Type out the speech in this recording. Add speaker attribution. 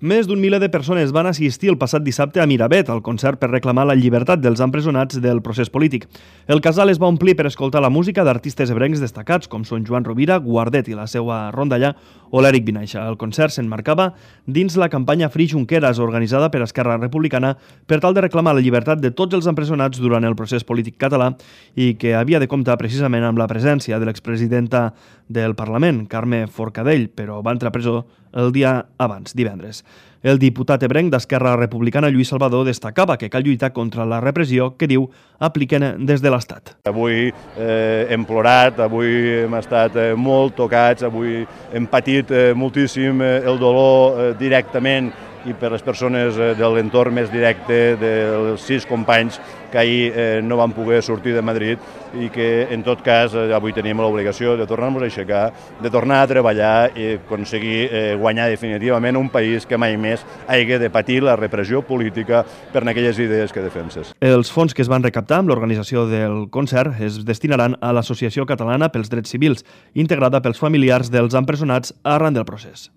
Speaker 1: Més d'un miler de persones van assistir el passat dissabte a Miravet, al concert per reclamar la llibertat dels empresonats del procés polític. El casal es va omplir per escoltar la música d'artistes ebrencs destacats, com són Joan Rovira, Guardet i la seva rondalla, o l'Eric Vinaixa. El concert s'emmarcava dins la campanya Free Junqueras, organitzada per Esquerra Republicana per tal de reclamar la llibertat de tots els empresonats durant el procés polític català i que havia de comptar precisament amb la presència de l'expresidenta del Parlament, Carme Forcadell, però va entrar a presó el dia abans, divendres. El diputat ebrenc d'Esquerra Republicana, Lluís Salvador, destacava que cal lluitar contra la repressió que, diu, apliquen des de l'Estat.
Speaker 2: Avui hem plorat, avui hem estat molt tocats, avui hem patit moltíssim el dolor directament i per les persones de l'entorn més directe dels 6 companys que ahir no van poder sortir de Madrid i que, en tot cas, avui tenim l'obligació de tornar-nos a aixecar, de tornar a treballar i aconseguir guanyar definitivament un país que mai més hagi de patir la repressió política per aquelles idees que defenses.
Speaker 1: Els fons que es van recaptar amb l'organització del concert es destinaran a l'Associació Catalana pels Drets Civils, integrada pels familiars dels empresonats arran del procés.